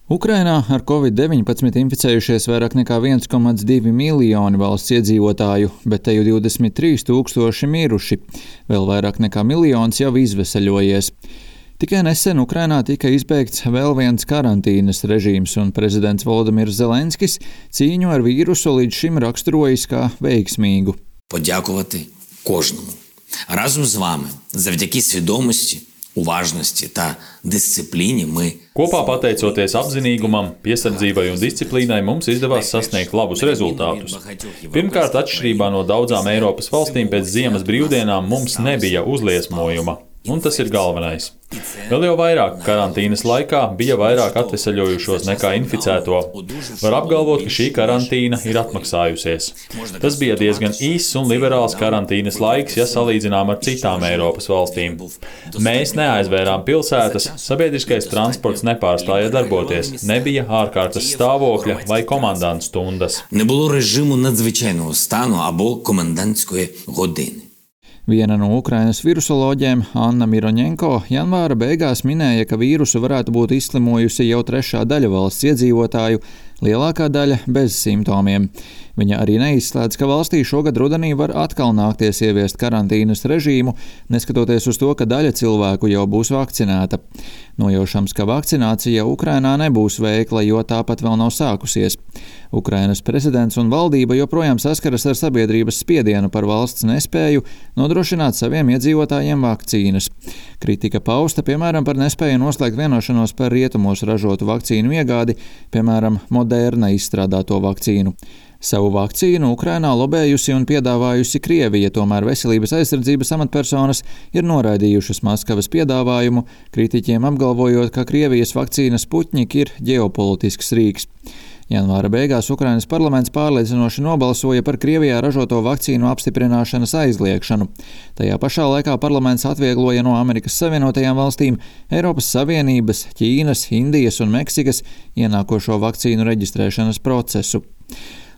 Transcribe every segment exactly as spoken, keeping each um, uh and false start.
Ukrainā ar covid deviņpadsmit inficējušies vairāk nekā viens komats divi miljoni valsts iedzīvotāju, bet te jau divdesmit trīs tūkstoši miruši. Vēl vairāk nekā miljons jau izveseļojies. Tikai nesen Ukrainā tika izbeigts vēl viens karantīnas režīms, un prezidents Volodimirs Zelenskis cīņu ar vīrusu līdz šim raksturojis kā veiksmīgu. Подякувати кожному. Разом з вами, завдяки свідомості, уважності та дисципліні ми... Kopā pateicoties apzinīgumam, piesardzībai un disciplīnai mums izdevās sasniegt labus rezultātus. Pirmkārt, atšķirībā no daudzām Eiropas valstīm pēc ziemas brīvdienām mums nebija uzliesmojuma, un tas ir galvenais. Vēl jau vairāk karantīnas laikā bija vairāk atveseļojušos nekā inficēto. Var apgalvot, ka šī karantīna ir atmaksājusies. Tas bija diezgan īss un liberāls karantīnas laiks, ja salīdzinām ar citām Eiropas valstīm. Mēs neaizvērām pilsētas, sabiedriskais transports nepārstāja darboties, nebija ārkārtas stāvokļa vai komandantu stundas. Не було режиму надзвичайного стану або комендантської години. Viena no Ukrainas virusoloģiem, Anna Miroņenko, janvāra beigās minēja, ka vīrusu varētu būt izslimojusi jau trešā daļa valsts iedzīvotāju, lielākā daļa bez simptomiem. Viņa arī neizslēdz, ka valstī šogad rudenī var atkal nākties ieviest karantīnas režīmu, neskatoties uz to, ka daļa cilvēku jau būs vakcinēta. Nojaušams, ka vakcinācija Ukrainā nebūs veikla, jo tāpat vēl nav sākusies. Ukrainas prezidents un valdība joprojām saskaras ar sabiedrības spiedienu par valsts nespēju nodrošināt saviem iedzīvotājiem vakcīnas. Kritika pausta, piemēram, par nespēju noslēgt vienošanos par rietumos ražotu vakcīnu iegādi, piemēram, Moderna izstrādāto vakcīnu. Savu vakcīnu Ukrainā lobējusi un piedāvājusi Krievija, tomēr veselības aizsardzības amatpersonas ir noraidījušas Maskavas piedāvājumu, kritiķiem apgalvojot, ka Krievijas vakcīna Sputnik ir ģeopolitisks rīks. Janvāra beigās Ukrainas parlaments pārliecinoši nobalsoja par Krievijā ražoto vakcīnu apstiprināšanas aizliekšanu. Tajā pašā laikā parlaments atviegloja no Amerikas Savienotajām valstīm, Eiropas Savienības, Ķīnas, Indijas un Meksikas ienākošo vakcīnu reģistrēšanas procesu.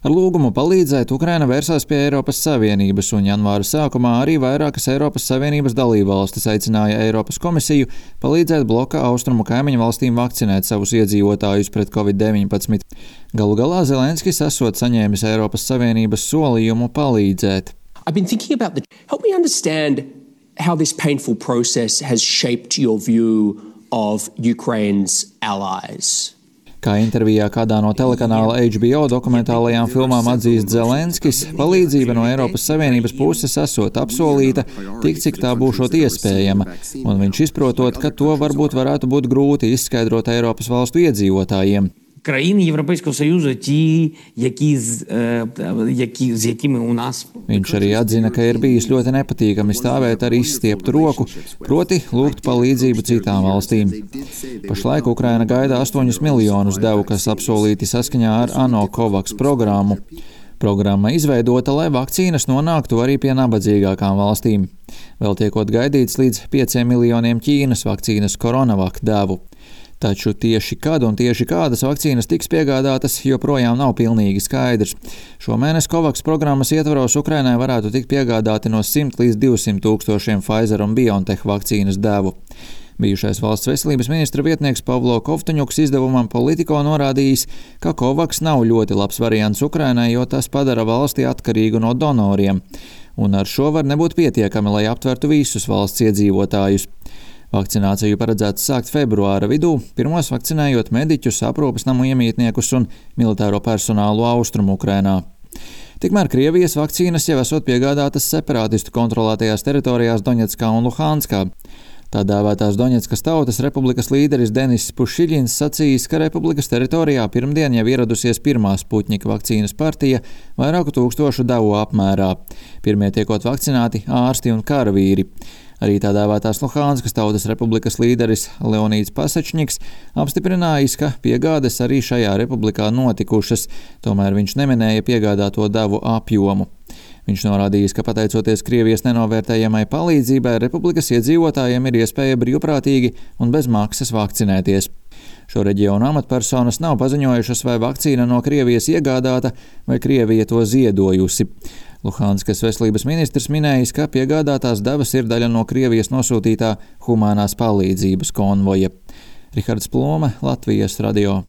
Ar lūgumu palīdzēt Ukraina vērsās pie Eiropas Savienības, un janvāra sākumā arī vairākas Eiropas Savienības dalībvalstis aicināja Eiropas komisiju palīdzēt bloka austrumu kaimiņu valstīm vakcinēt savus iedzīvotājus pret covid deviņpadsmit. Galu galā Zelenskis esot saņēmis Eiropas Savienības solījumu palīdzēt. I've been thinking about the... Help me understand how this painful process has shaped your view of Ukraine's allies. Kā intervijā kādā no telekanāla H B O dokumentālajām filmām atzīst Zelenskis, palīdzība no Eiropas Savienības puses esot apsolīta, tik cik tā būšot iespējama, un viņš izprotot, ka to varbūt varētu būt grūti izskaidrot Eiropas valstu iedzīvotājiem. Країни Європейського Союзу, ті, які, які, з якими у нас... Viņš arī atzina, ka ir bijis ļoti nepatīkami stāvēt ar izstieptu roku, proti lūgt palīdzību citām valstīm. Pašlaik Ukraina gaida astoņus miljonus devu, kas apsolīti saskaņā ar ANO COVAX programmu. Programma izveidota, lai vakcīnas nonāktu arī pie nabadzīgākām valstīm. Vēl tiekot gaidīts līdz pieciem miljoniem Ķīnas vakcīnas Coronavac devu. Taču tieši kad un tieši kādas vakcīnas tiks piegādātas, joprojām nav pilnīgi skaidrs. Šomēnes COVAX programmas ietvaros Ukrainai varētu tikt piegādāti no simt līdz divsimt tūkstošiem Pfizer un BioNTech vakcīnas devu. Bijušais valsts veselības ministra vietnieks Pavlo Kovtuņuks izdevumam Politico norādījis, ka COVAX nav ļoti labs variants Ukrainai, jo tas padara valsti atkarīgu no donoriem. Un ar šo var nebūt pietiekami, lai aptvertu visus valsts iedzīvotājus. Vakcināciju paredzēts sākt februāra vidū, pirmos vakcinējot mediķus, aprūpes namu iemītniekus un militāro personālu austrumu Ukrainā. Tikmēr Krievijas vakcīnas jau esot piegādātas separātistu kontrolētajās teritorijās Doņetskā un Luhanskā. Tā dēvētās Doņetskas tautas republikas līderis Denis Pušiļins sacījis, ka republikas teritorijā pirmdien jau ieradusies pirmā Sputnika vakcīnas partija vairāku tūkstošu devu apmērā. Pirmie tiekot vakcinēti ārsti un karavīri. Arī tā dēvētās Luhanskas tautas republikas līderis Leonīds Pasačņiks apstiprinājis, ka piegādes arī šajā republikā notikušas, tomēr viņš neminēja piegādāto devu apjomu. Viņš norādījis, ka pateicoties Krievijas nenovērtējamai palīdzībai, republikas iedzīvotājiem ir iespēja brīvprātīgi un bez maksas vakcinēties. Šo reģionu amatpersonas nav paziņojušas, vai vakcīna no Krievijas iegādāta vai Krievija to ziedojusi. Luhanskas veselības ministrs minējis, ka piegādātās devas ir daļa no Krievijas nosūtītā humānās palīdzības konvoja. Rihards Plome, Latvijas radio.